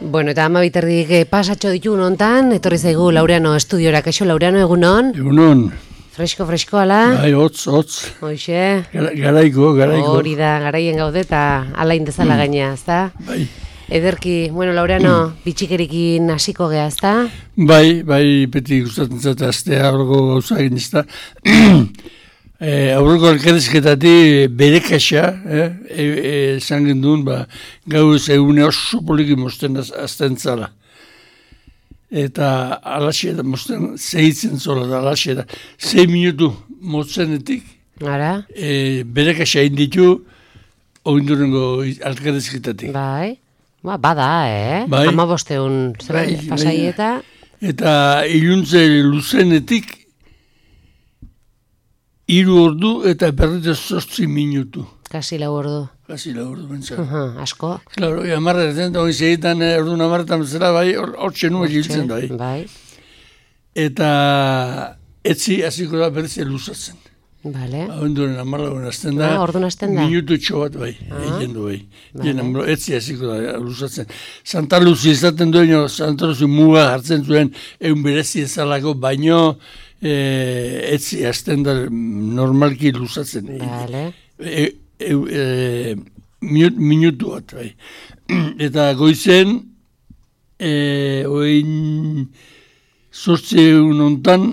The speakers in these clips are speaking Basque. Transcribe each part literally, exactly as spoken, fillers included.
Bueno, eta ama biterdik pasatxo ditu nontan, etorri zaigu Laureano estudiora. Kaixo, Laureano, egunon? Egunon. Fresko, fresko, ala? Bai, hotz, hotz. Hoxe? Gara, garaiko, garaiko. Hori da, garaien gaude eta alain dezala mm. gaina, ezta? Bai. Ederki, bueno, Laureano, mm. bitxikerikin hasiko gea, ezta? Bai, bai, beti gustatzen zata aztea aurreko gauza egin, ezta? E, aurreko elkarrizketatik bere kaxa, eh? e, e, esan gendun, ba, gauz egune oso poliki mosten azten zala. Eta alaxe da, mosten zehitzen zola da, alaxe da. Zei minutu motzenetik, Ara? e, bere kaxa inditu, oindurengo elkarrizketatik. Bai, ba, bada, eh? Bai. Ama bosteun, zer Bai, pasai bai. eta... Eta iluntze luzenetik, hiru ordu eta berrita zortzi minutu. Kasi lau ordu. Kasi lau ordu bentsara. Uh-huh, asko. Claro, amarra ezen, hori segitan ordu namarretan zera, bai, hortxe nua giltzen da. Bai. Bai, Eta etzi hasiko da berriz luzatzen. bale. Abenduren amarragoen azten da. Ah, orduan hasten da. Minutu txo bat, bai, Ah. egin du, bai. Vale. Jena, etzi hasiko da luzatzen. Santa Luzi izaten dueno, Santa Luzi muga hartzen zuen, egun berezi ezalako, baino, E, etzi hasten da normalki luzatzen. Bale. E, e, e, minut, minutu bat, bai. Eta goizen, e, oin zortzi egun ontan,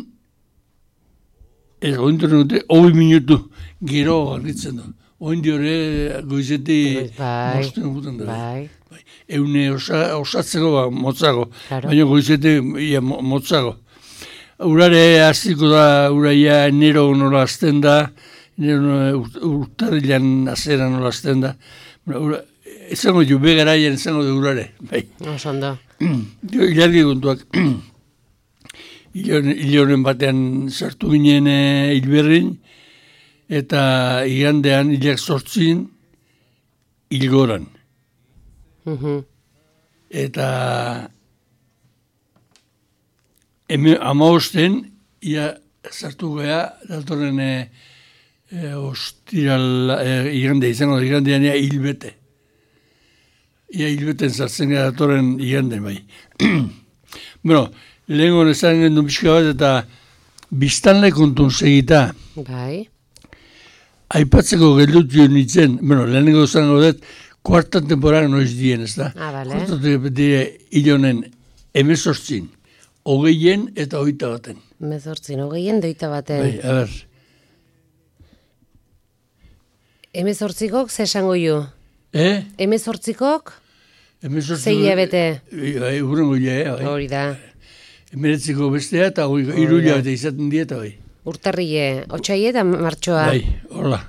ez, oin dute, hoi minutu gero argitzen da. Oin diore goizeti Bai, mosten guten da. bai. Bai. Eune osa, osatzeko, ba, motzago. Claro. Baina goizeti ia, mo- motzago. Urare hasiko da, uraia enero nola azten da, enero urtarrilan azera nola azten da. Ura, ezango jo, begaraien ezango da urare. Bai. Oso ondo. Ilargi kontuak. Iloren batean sartu ginen e, hilberrin, eta igandean hilak sortzin hilgoran. Mhm. Eta Hemen amaosten, ia sartu gea, datorren e, e, ostiral, e, igande, izango da, igandean ia hilbete. Ia hilbeten sartzen gara datorren igande, bai. Bueno, lehenko nezaren gendu pixka bat, eta biztanle kontun segita, Bai. aipatzeko geldutu nintzen, bueno, lehenengo zango dut, kuartan temporada noiz dien, ez da? Ah, bale. Kuartan temporada ilonen emezortzin. Hogeien eta hogeita baten. Mezortzin, hogeien doita baten. Bai, a ber. Hemezortzikok ze esango ju? Eh? Hemezortzikok Hemezortzi- Sei hilabete. Bai, urrengo hilea, bai. hori da. Hemeretziko bestea eta hoi, hiru hilabete izaten dieta, bai. Urtarrile, otsaile eta martxoa. Bai, hola.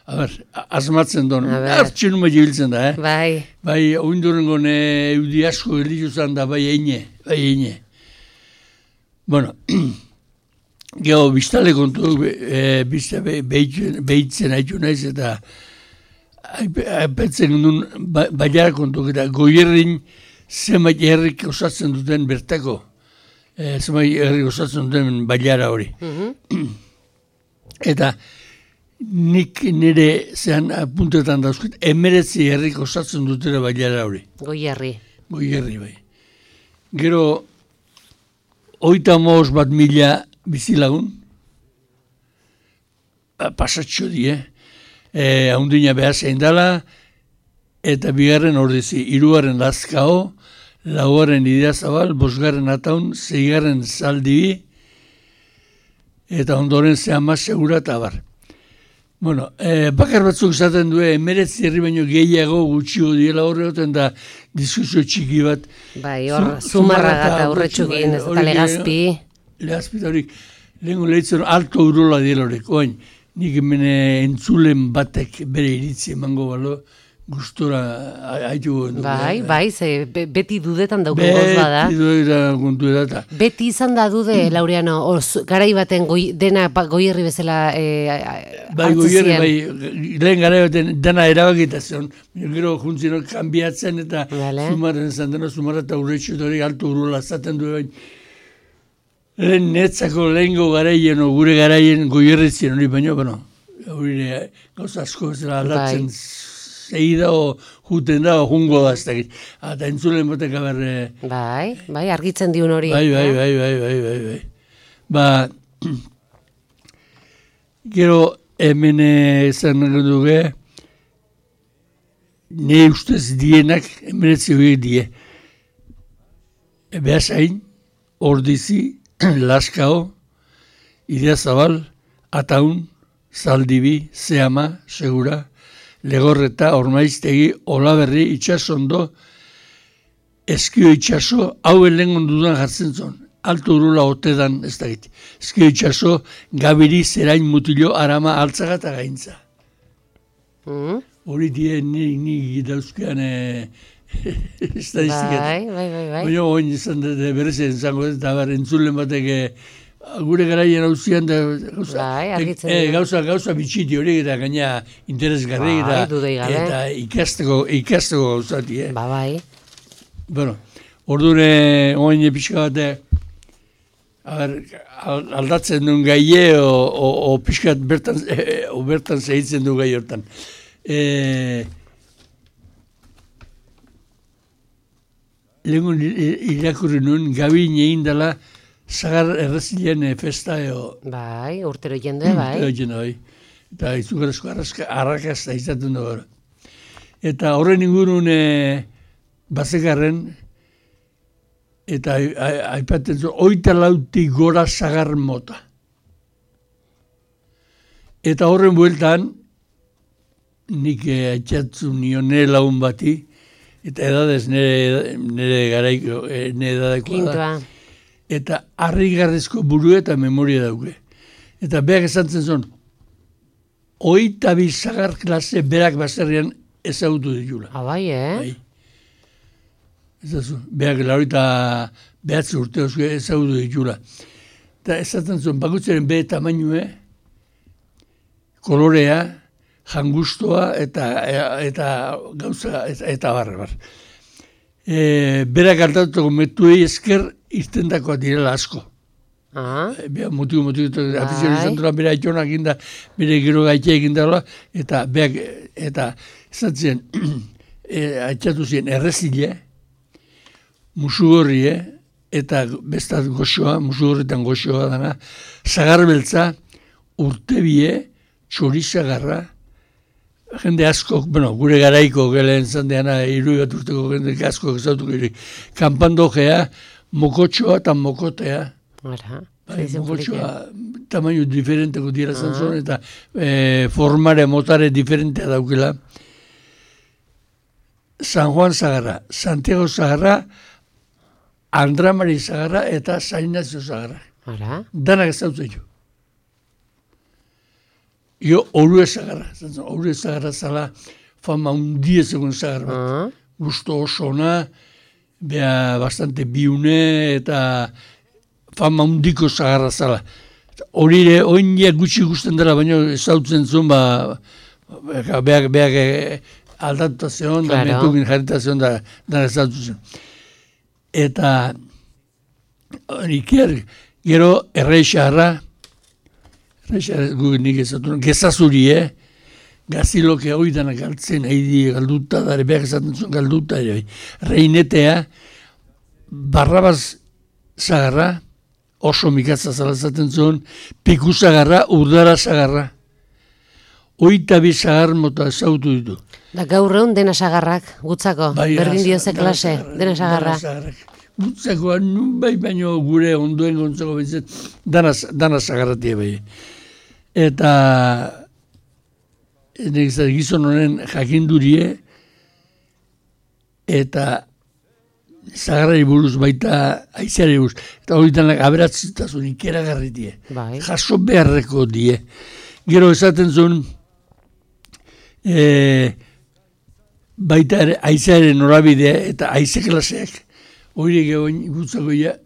A ber, a- asmatzen duen. A ber. Hartxen uma jibiltzen da, eh? Bai, Bai, oindurengo ne eudi asko gelditu zan da, bai eine, bai eine. Bueno, geho, biztale kontu, e, bizta be, behitzen, behitzen haitu naiz, eta aipetzen duen ba, baiara kontu, eta goierrin zenbait herrik osatzen duten bertako, e, zenbait herrik osatzen duten baiara hori. mhm, Eta nik nire zean apuntetan dauzkit, emeretzi herrik osatzen dutera baiara hori. goierri. Goierri bai. Gero, oita moz bat mila bizilagun, pasatxo die, eh? E, haundina behar zein dala, eta bigarren ordezi, hirugarren lazkao, laugarren ideazabal, bosgarren ataun, zeigarren zaldibi, eta ondoren zehama segura eta bar. Bueno, eh, bakar batzuk izaten du, emeretzi herri baino gehiago gutxio diela horregoten da diskusio txiki bat. Bai, hor, Zu- zumarraga eta Urretxu, urretxukin, bai, ez hori eta ere, legazpi. Legazpi eta horik, lehenko lehitzen alto urola diela horrek, oain, nik hemen entzulen batek bere iritzi emango balo, gustora haitu goen. Bai, bai, ze be- beti dudetan dauko goz bada. Beti doera kontu edata. Beti izan da dude, Laureano, oz, garai baten goi, dena ba- goierri bezala e, Bai, goierri, bai, lehen gara baten dana erabakita zion, gero juntzino kanbiatzen eta Vale. zumarren zan dena, zumarra eta urretxu eta hori alto urola zaten du, bain. Lehen netzako lehengo garaien, o gure garaien goierri ziren hori baino, bueno, hori gauza asko bezala aldatzen zei da, o juten da, o jungo da, ez dakit. Eta entzulen batek abar... Bai, bai, argitzen diun hori. Bai, bai, bai, bai, bai, bai, bai. Ba, gero hemen ezan duge, ne ustez dienak, emeretzi horiek die. Beasain, Ordizi, Laskao, Idiazabal, Ataun, Zaldibi, Zeama, Segura, Legorreta, Ormaiztegi, Olaberri, Itxasondo, Eskio Itxaso, hau elengon dudan jartzen zon. Alto urula otedan, ez da giti. Eskio Itxaso, Gabiri, Zerain, Mutilo, Arama, Altzaga eta Gaintza. Mm. Hori die ni, ni dauzkean estadistikatu. Bai, bai, bai, bai. Baina oin izan berrezen zango ez, eta bar, entzulen batek gure garaien hauzian da gauza, bai, argitzen e, gauza, gauza bitxiti horiek eta gaina interesgarri bai, eta, eta ikasteko, ikasteko gauzati. Eh? Ba, bai. Bueno, ordure oin pixka bate aldatzen duen gaie o, o, o pixkat bertan, e, o bertan zehitzen du gai hortan. E, Lehenko irakurri nuen, gabi egin dela zagar errezilean festa eo. Bai, urtero jende, bai. Urtero jende, bai. Eta izugarazko arrakazta izaten du gara. Eta horren ingurun e, bazekarren, eta aipaten zuen, oita lauti gora zagar mota. Eta horren bueltan, nik atxatzu nione lagun bati, eta edadez nire, nire garaiko, nire edadaikoa da. Eta harrigarrezko buru eta memoria dauke. Eta berak esan zen zon, oita bi zagar klase berak baserrian ezagutu ditula. Ah, bai, eh? Bai. Ezazu, berak laurita behatzi urte osko ezagutu ditula. Eta esaten zuen, bakutzaren be tamainue, kolorea, jangustoa eta eta gauza eta, eta barre bar. E, berak altatuko metuei esker irtendakoa direla asko. Ah. E, bera motibo motibo afizion izan dura bera aitonak inda, bere gero gaitea egin dara, eta berak, eta esatzen, e, aitatu ziren errezile, musugorrie, eta bestat goxoa, musugorritan goxoa dana, zagarbeltza, urtebie, txorizagarra, jende asko, bueno, gure garaiko gelen zandeana, irui bat urteko jende asko ezautuko irik. Kanpandojea, mokotxoa eta mokotea. Ara, bai, mokotxoa, tamaino diferenteko dira zantzon, eta e, formare, motare diferentea daukela. San Juan Zagarra, Santiago Zagarra, Andramari Zagarra eta San Ignacio Zagarra. Ara. Danak ezautzen jo. Jo, Orue Zagarra, Orue Zagarra zala fama undiez egun Zagarra bat. Uh-huh. Gusto osona, beha bastante biune eta fama undiko Zagarra zala. Horire, oinak gutxi gusten dela, baina ezautzen zuen, ba, beak, beak aldatuta zeon, da mentukin jarrita zeon, da, da ezautzen zuen. Eta, iker, gero, errei xarra, nik ezatu, gezazuri, eh? Gaziloke hori dana galtzen, haidi galduta, dara behar ezaten zuen galduta, ere. Reinetea, Barrabaz Zagarra, oso mikatza zalazaten zuen, Piku Zagarra, Urdara Zagarra. Oita bi zagar mota ezautu ditu. Da gaur egun dena sagarrak, gutzako, bai, berdin dioze klase, dena sagarra. Gutzakoa, nun bai baino gure ondoen gontzako bintzen, dana zagarratia bai. Eta gizon honen jakindurie, eta zagarrari buruz baita aizeari buruz. Eta hori danak aberatzitazun ikeragarri die. Bai. Jaso beharreko die. Gero esaten zuen, e, baita ere aizearen norabidea eta aize klaseak. Hori gehoin gutzako ja,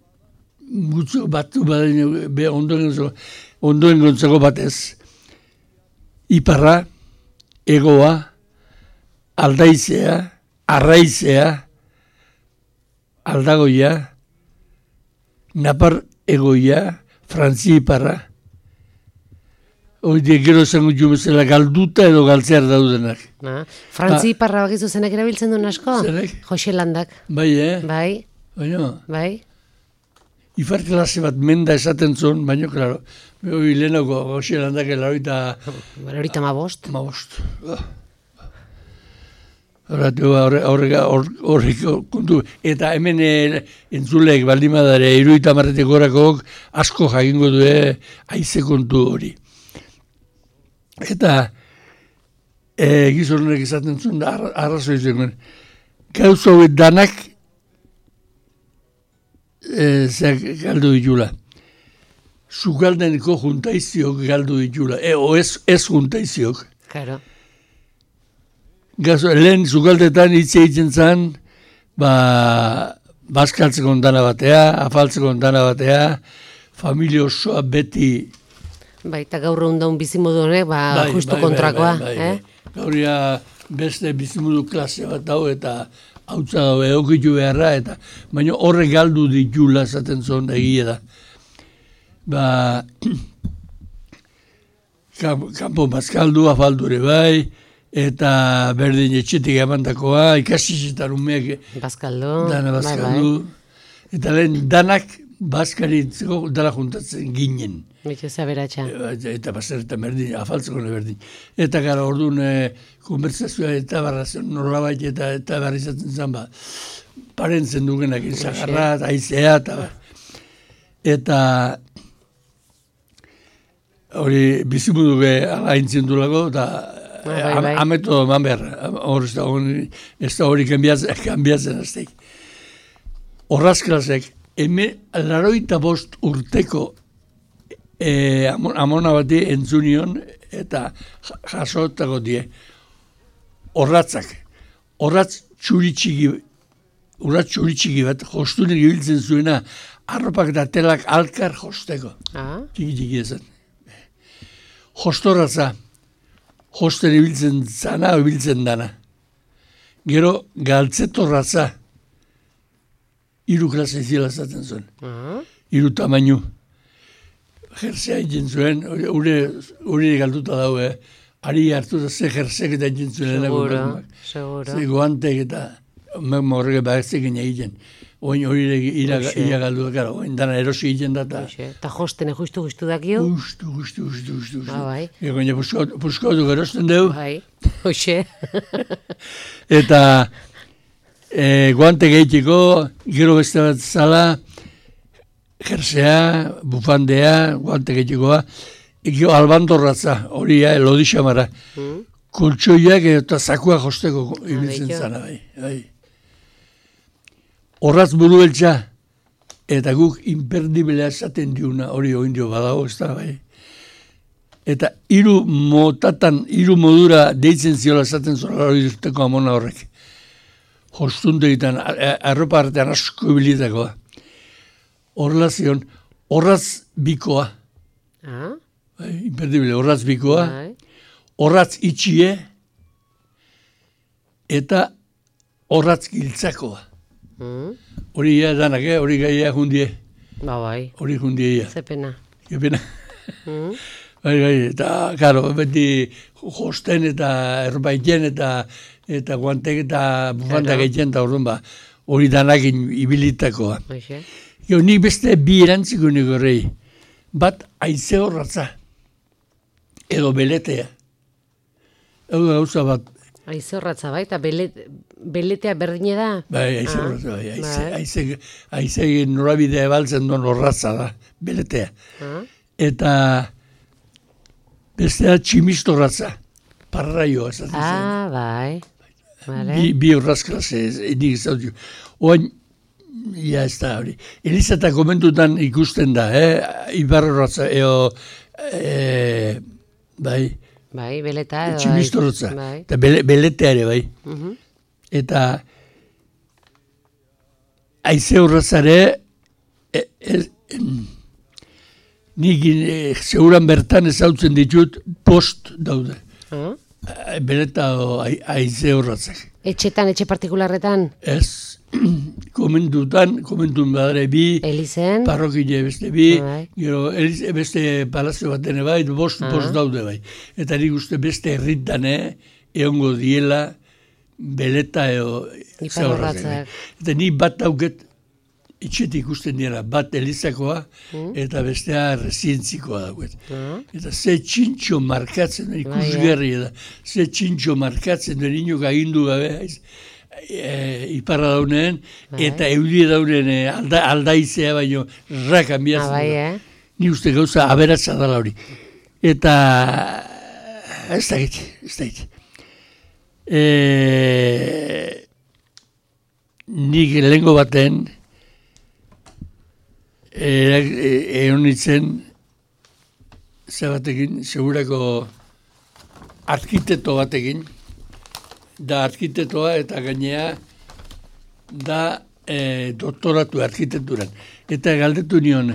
gutzako batu baden, be ondoen, ondoen gontzako batez. Iparra, egoa, aldaizea, arraizea, aldagoia, napar egoia, frantzi iparra, hori die gero esango jumezela galduta edo galtzear daudenak. Ah, Frantzi Iparra bakizu zenak erabiltzen duen asko? Zenek? Jose Landak. Bai, eh? Bai, Baina, bai. Ifar klase bat menda esaten zuen, baina, klaro, hori lehenako Jose Landak elaroita... Horita ma bost. Ma bost. Horrek kontu, eta hemen entzulek baldimadare iruita marretek gorakok asko jakingo du haize kontu hori. Eta e, gizonek izaten zuen arrazoi zen, gauza hori danak e, zeak galdu ditula. Zugaldeneko juntaiziok galdu ditula, e, o ez, ez juntaiziok. Claro. Gazo, lehen zugaldetan hitz egiten zen, ba, bazkaltzeko ondana batea, afaltzeko ondana batea, familia osoa beti... Bai, eta gaur egun daun bizimodu honek, ba, bai, justu bai, kontrakoa. Bai, bai, bai, eh? bai. Gauria beste bizimodu klase bat dau eta hautza dago egokitu beharra, eta baina horre galdu ditula zaten zon egia da. Ba, kanpo bazkaldu, afaldure bai, eta berdin etxetik emandakoa, ikasitzetan umeak Bazkaldu. dana bazkaldu. Bai, bai. Eta lehen danak bazkaritzeko dala juntatzen ginen. Bitu zaberatxa. Eta bazeretan berdin, afaltzeko berdin. Eta gara orduan e, konversazioa eta barrazen nolabait eta eta barrizatzen zen ba, parentzen dugenak izagarra, aizea, eta eta hori bizimuduge ala intzen dulako, eta bai, bai. ameto eman behar, hori ez da hori kanbiatzen azteik. Horraz klasek, hemen laroita bost urteko e, amona bati entzunion eta jasotako die. Horratzak, horratz txuritxiki, horratz txuritxiki bat, jostunek ibiltzen zuena, arropak eta telak alkar josteko. Ah. Txiki txiki ezan. Jostorratza, josten ibiltzen zana, ibiltzen dana. Gero, galtzetorratza, hiru klase zila zaten zuen. Ah. Hiru tamainu. Jersea egin zuen, hori galduta daue, ari hartu da ze jersek eta egin zuen. Seguro, seguro. Ze guantek eta horrek bagezekin egiten. Oin hori ira galdu da, gara, oin dana erosi egiten da. Eta jostene justu justu dakio? Justu, justu, justu, justu. Ah, bai. Egoina puskautu gerosten deu. Bai, hoxe. Eta e, guante gehitiko, gero beste bat zala, jersea, bufandea, guante gehitikoa, ekio albandorratza, hori ja, lodixamara. Mm. Koltsoiak eta zakua josteko ibiltzen zana, bai. bai. Horraz buru beltza, eta guk imperdiblea esaten diuna, hori oindio badago, ez da, bai. Eta hiru motatan, hiru modura deitzen ziola esaten zola hori duteko amona horrek. Jostunte egiten, arropa artean asko ibilitakoa. Horrela zion, horraz bikoa. Ah? Bai, imperdible, horraz bikoa. Bai. Horratz itxie, eta horratz giltzakoa. Mm. Hori ia danak, eh? Hori gaia jundie. Ba, bai. Hori jundie ia. Zepena. Zepena. Mm. Bai, bai, eta, karo, beti josten eta erbaiten eta eta guantek eta bufantak egiten eta orduan ba, hori danak ibilitakoa. Hoxe. Jo, nik beste bi erantziko nik horrei. Bat, aize horratza. Edo beletea. Hau gauza bat. Aize horratza bai, eta belet, beletea berdine da? Bai, aize horratza bai. Aize, aize, aize norabidea ebaltzen duen horratza da, beletea. Ah? Eta bestea tximistorratza, parraioa. Ah, bai. Vale. Bi, bi horrazklase, nik zautu. Oain, ja ez da hori. Elizata komentutan ikusten da, eh? Ibar horratza, eo, e, bai, bai, beleta. Tximistorratza, bai. eta bele, beletea ere, bai. Uh-huh. Eta aize horratzare, e, e, nik e, seguran bertan ezautzen ditut post daude. Uh-huh. Beleta o aize horratzak. Etxetan, etxe partikularretan? Ez, komentutan, komentun badare bi, Elizen? parrokile beste bi, Bai. gero eliz, beste palazio batene bai, bost, Ah. bost daude bai. Eta nik uste beste herritan, eh, egongo diela, beleta eo Iparrorratzak. Eta ni bat dauket, etxetik ikusten dira, bat elizakoa, Mm. eta bestea residentzikoa dauket. Ah. Eta ze txintxo markatzen, ikusgarri da, ze txintxo markatzen duen inok agindu gabe, haiz, e, iparra dauneen, Bai. eta eulie dauneen e, alda, aldaizea baino rakan Ah, bihatzen. bai, eh? Ni uste gauza aberatza dela hori. Eta ez da git, ez da git. E, nik lehengo baten egon nintzen ze batekin, segurako arkitekto batekin, da arkitetoa eta gainea da e, doktoratu arkitekturan. Eta galdetu nion,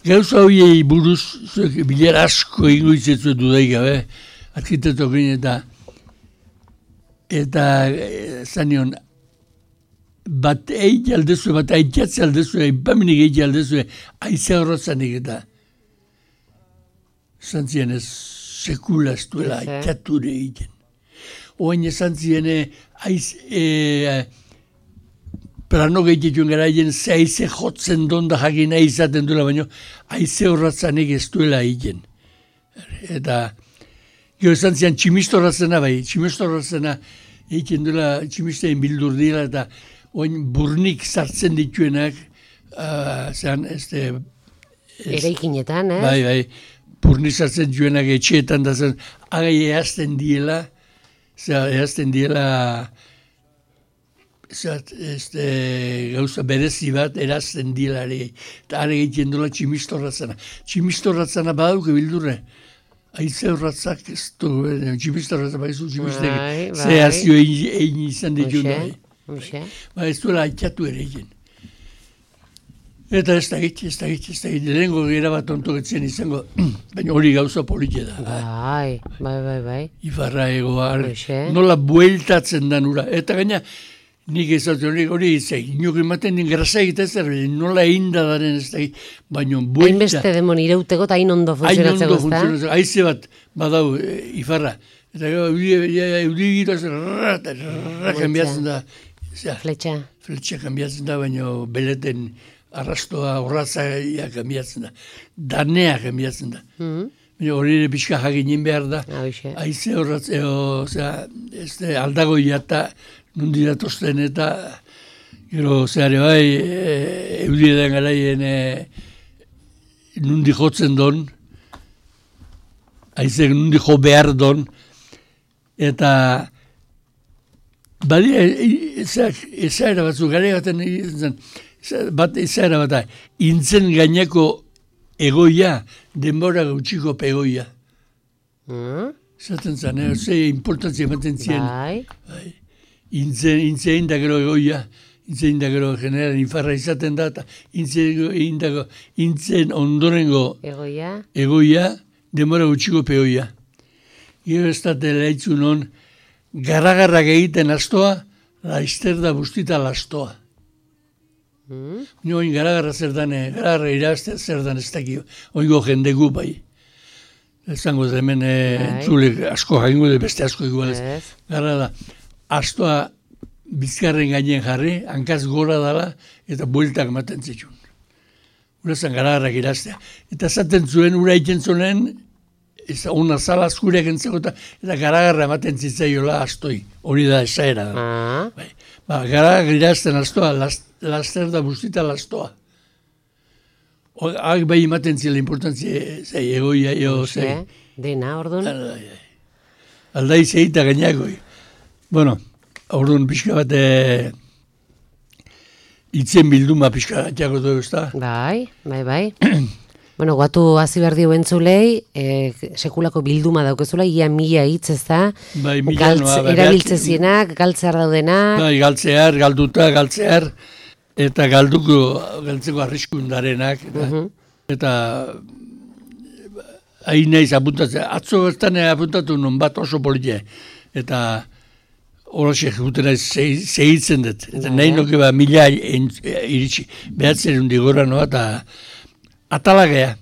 gauza horiei buruz, zuek bilera asko ingo izetzu dudai gabe, arkitetokin eta eta e, zanion, bat eit aldezu, bat aitatze aldezu, aipamenik eit aldezu, aize horretzanik eta zantzien ez sekula ez duela aitature egiten. Oain esan zien, aiz, e, plano gehitituen gara egin, ze aize jotzen donda jakina izaten duela, baina aize horretzanik ez duela egiten. Eta, gero esan zien, tximisto horretzena bai, tximisto horretzena egiten duela, tximistein bildur dira, eta oain burnik sartzen dituenak, uh, zean, ez de... Eraikinetan, eh? Bai, bai, burnik sartzen dituenak etxeetan, da zen, agai ehazten diela, zera, ehazten diela, zera, ez de, gauza berezi bat, erazten diela, eta are egiten duela tximistorratzena. Tximistorratzena badauke bildurre, aize horratzak ez du, tximistorratzena baizu, tximistek, Bai, bai. ze hazio egin izan ditu. Hoxe, hoxe. Ba, ez duela aitzatu ere egin. Eta ez da gitz, ez da gitz, ez da gitz, lehenko gira bat ontoketzen izango, baina hori gauza polite da. Bai, bai, bai, bai. Ifarra egoa, Hoxe. nola bueltatzen dan ura. Eta gaina, nik ezatzen hori, hori izak, inok ematen din grasa egiten zer, nola egin da daren ez da gitz, baina buelta. Hainbeste demon ireuteko eta hain ondo funtzionatzeko, Hain ondo funtzionatzeko, haize bat badau e, Ifarra. Eta gero, euri giroz, rrrra, rrrra, kanbiatzen da. Zera, Fletxa. fletxa kanbiatzen da, baina beleten arrastoa, horratzaia kanbiatzen da. Danea kanbiatzen da. Mm. Baina hori ere pixka jakinin behar da. Hoxe. Aize horratzeo, zera, ez de, aldagoia eta nundi datozten eta gero, zehare bai, e, eudietan garaien e, nundi jotzen don, aize nundi jo behar don, eta badia, ezaera batzuk, gare baten zen, bat ezaera bat da, intzen gaineko egoia, denbora gautxiko pegoia. Mm. Zaten zen, eh? Ze importantzia ematen zien. Bai. Intzen, intzen da gero egoia, intzen da gero generan Ifarra izaten da, eta intzen, da, intzen ondorengo Egoia. egoia, denbora gautxiko pegoia. Gero ez da telaitzun hon, garagarrak egiten astoa, laizter da bustita lastoa. Mm. Oin garagarra zer dan, garagarra irazte zer dan ez dakio, oingo jendegu bai. Ezango da hemen entzulek asko jakingo de beste asko igualez. Ez. Gara da, astoa bizkarren gainen jarri, hankaz gora dala, eta bueltak ematen zituen. Urazan garagarrak iraztea. Eta zaten zuen, ura egiten zuen, ez una zala azkureak entzeko eta, eta garagarra ematen zitzaiola astoi. Hori da esaera da. Ah. Bai. Ba, garagarrak irazten astoa, last, laster da bustita lastoa. Hak bai ematen zila importantzia, zei, egoia, eo, zei. Dena, orduan. Aldai zeita gainako. Bueno, orduan pixka bat, e, itzen bilduma pixka jako dugu, ez da? Bai, bai, bai. Bueno, guatu hazi behar dio entzulei, e, sekulako bilduma daukezula, ia mila hitz ez da, Bai, mila galtz, noa, bai, erabiltzezienak, galtzear daudena. Bai, galtzear, galduta, galtzear, eta galduko, galtzeko arriskundarenak, eta, Mhm. eta hain naiz apuntatzen, atzo bertan apuntatu non bat oso politia, eta Horxe jutera zehitzen dut. Eta Bai. nahi noke ba mila iritsi. Behatzen hundi gora noa eta atalagea.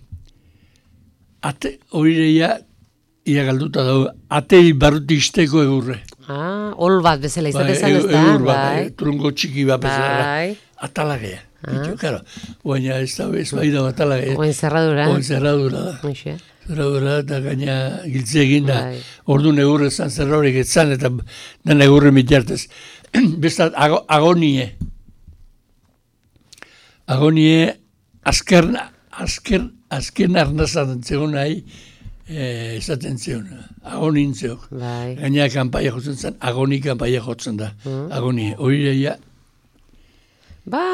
Ate, horireia, ia galduta dago, atei barruti isteko egurre. Ah, ol bat bezala Bai, izaten ez da, egur bat, bai. eh, trungo txiki bat bezala. Bai. Atalagea. Ah. Bitxo, claro. Baina ez da, ez bai da atalagea. Oen zerradura. Oen zerradura da. Hoxe. Zerradura eta gaina giltze egin da. Bai. Ordu egurre zan zerraurek etzan eta den egurre mitartez. Bestat, ago, agonie. Agonie, azker, azker, azken arnazan zegoen nahi, eh, esaten zeon, agonin zeok. Bai. Gaina kanpaia jotzen zen, agoni kanpaia jotzen da. Mm. Agonie, horireia. Ba,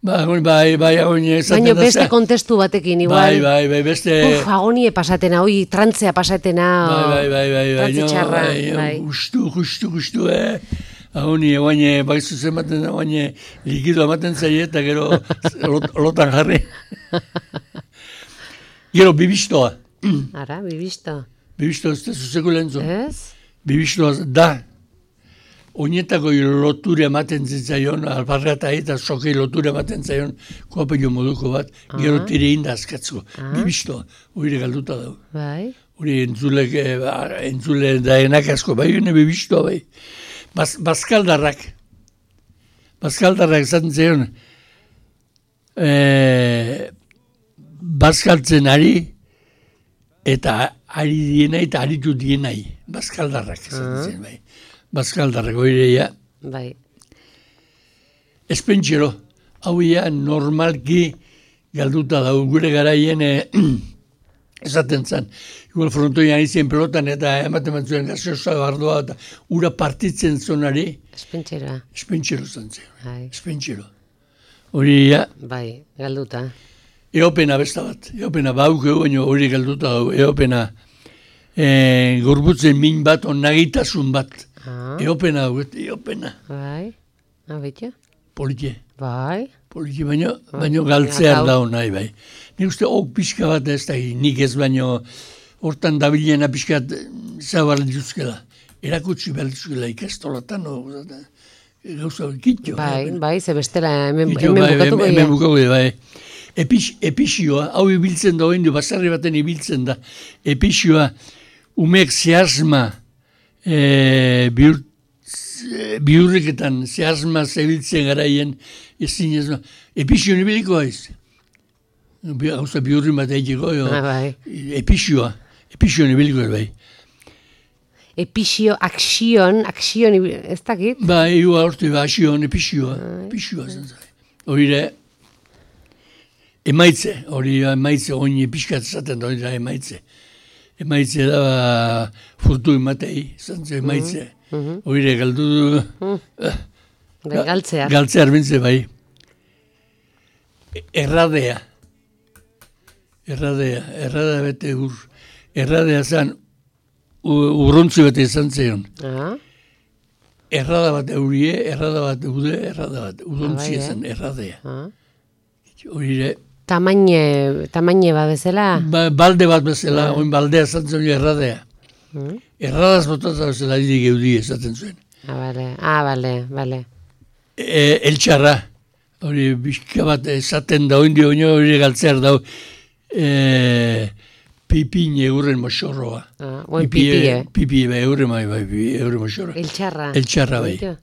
Ba, agoni, bai, bai, agonie esaten baina da. beste za- kontestu batekin, igual. Bai, bai, bai, beste... Uf, agonie pasatena, oi, trantzea pasatena. Bai, bai, bai, bai, bai, Trantze no, txarra, bai, bai. justu, justu, justu, eh. Agoni, guaine, bai zuzen ematen da, guaine, likido ematen zaie, eta gero lot, lotan jarri. Gero, bibistoa. Ara, bibisto. Bibistoa ez da zuzeko lehentzun. Ez? Bibistoa da. Oinetako lotura ematen zitzaion, alparra eta eta sokei lotura ematen zaion, koapello moduko bat, gero tire inda azkatzko. Bibistoa, hori galduta dago. Bai. Hori entzulek, eh, ba, entzule daenak asko, bai, hori bibistoa bai. Baz, bazkaldarrak. Bazkaldarrak esaten zion, eh, bazkaltzen ari, eta ari dienai eta aritu dienai. Bazkaldarrak esaten zion, bai. Bazkaldarrak, oireia. Bai. Espentxero, hau ia normalki galduta dago, gure garaien eh, esaten zen. Igual frontoian izien pelotan eta ematen batzuen gaseosa bardoa eta ura partitzen zonari, Espentxera. espentxero zen zen. Bai. Espentxero. Hori ia, Bai, galduta. eopena besta bat. Eopena baukeu, baina hori galduta dago. Eopena eh, gorbutzen min bat, onnagitasun bat. Ah, Eopena dago, eopena. bai. Abetxo? Politie. Bai. Poliki baino, baino galtzear Gau. dago nahi bai. Nik uste ok pixka bat ez da, nik ez baino hortan dabilena pixka bat zabar dituzkela. Erakutsi behar dituzkela ikastolatan, no, gauza kitxo. Bai, bai, ze bestela hemen, Kitxo, hemen bai, bukatuko hemen ia. bukatuko dira, bai. Epix, epixioa, hau ibiltzen da, oindu, basarri baten ibiltzen da. Epixioa, umek zehazma e, bihur, bihurriketan zehazma zebiltzen garaien ezin ez. Epixio nibiliko haiz. Gauza bihurrin bat egiteko, Ah, bai. epixioa, epixio nibiliko bai. Epixio, aksion, aksion, ez dakit? Ba, egu aurte, ba, asion, epixioa, epixioa zen zai. Horire, emaitze, hori emaitze, oin epixkat zaten da, hori da emaitze. Emaitze da, ba, furtu ematei, zantze emaitze. Horire, galdu du, Bai, galtzea. galtzea arbintze bai. Erradea. Erradea, erradea bete ur. Erradea zan, urrontzi bete izan zeion. Ah, Errada bat eurie, errada bat eude, errada bat. Urontzi bai, eh? ezan, erradea. ah. Horire, Tamaine, tamaine ba bezala? ba, balde bat bezala, oin baldea zan zuen erradea. Mm. Erradaz botatza bezala hidik eudi esaten zuen. Ah, bale, ah, bale, bale. E, eltxarra, hori bizka bat esaten da, oin dio, hori galtzear da, e, pipin egurren moxorroa. Ah, oin pipie. Pipie, bai, egurren bai, bai, egurren moxorroa. Eltxarra. Eltxarra bai. Oito?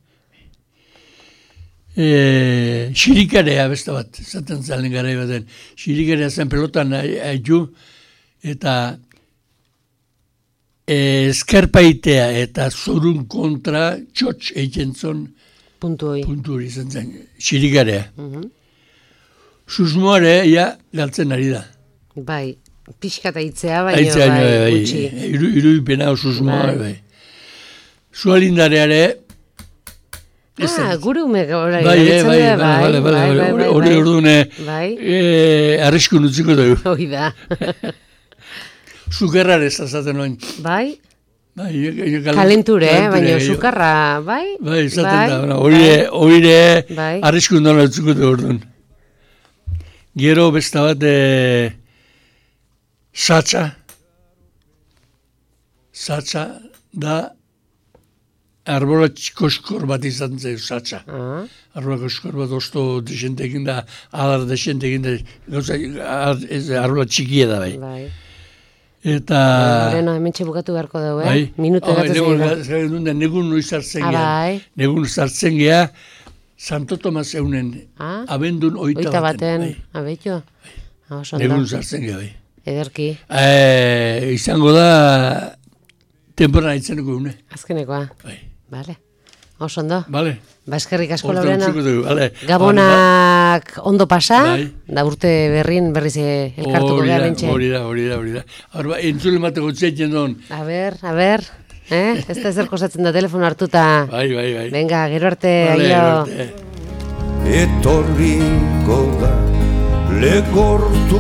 E, xirikarea beste bat, esaten zalen garai baten. Xirikarea zen pelotan haitu, eta e, eskarpaitea eta zorun kontra txotx egiten zon Puntu hoi. puntu hori izan zen, xirikarea. Mhm. Susmoare, ja, galtzen ari da. Bai, pixkata itzea, baina Aitzea, bai, bai, bai, gutxi. iru, irudipena susmoa, Bai. bai. Zualindareare, Ah, gure ume gora bai, eh, erabiltzen bai, da, bai, bai, bai, bai, bai, bai, hori bai. ordune, Bai, eh, arriskun utziko dugu. hoi da. Zukerrarez azaten noin. Bai, Bai, jo- jo- gal- kalenture, eh, kalenture baina gehiago. sukarra, bai? Bai, izaten bai, da, bueno, hori hori Bai. arriskun dola utzuko dugu orduan. Gero beste bat, eh, satsa. Satsa da arbola koskor bat izan zen satsa. Ah. Arbola koskor bat osto desentekin da, alar desentekin da, gauza, ez, arbola txikia da bai. Bai. Eta... Leno, hemen txebukatu beharko dugu, eh? Bai. Minutu Oh, egatu negun, zein. negun, negun noiz hartzen Ah, geha. bai. Negun sartzen geha, Santo Tomas eunen, Ah? abendun oita, Oita baten. baten, abetxo? Ah, oso ondo. Negun sartzen geha, bai. Ederki, Eh, izango da, temporada itzeneko une. azkenekoa. Bai. Vale. Oso ondo. Vale. Ba, eskerrik asko, Hortan Lorena. utziko dugu, vale. Gabonak ondo pasa, Bai. da urte berrin berriz eh, elkartuko Hori gara da, bentxe. hori da, hori da, hori da. Hor ba, entzule mateko txetzen duen. A ber, a ber, eh? Ez da ezer kosatzen da telefono hartuta. Bai, bai, bai. Venga, gero arte, Vale, aio. gero arte. Etorriko da legortuko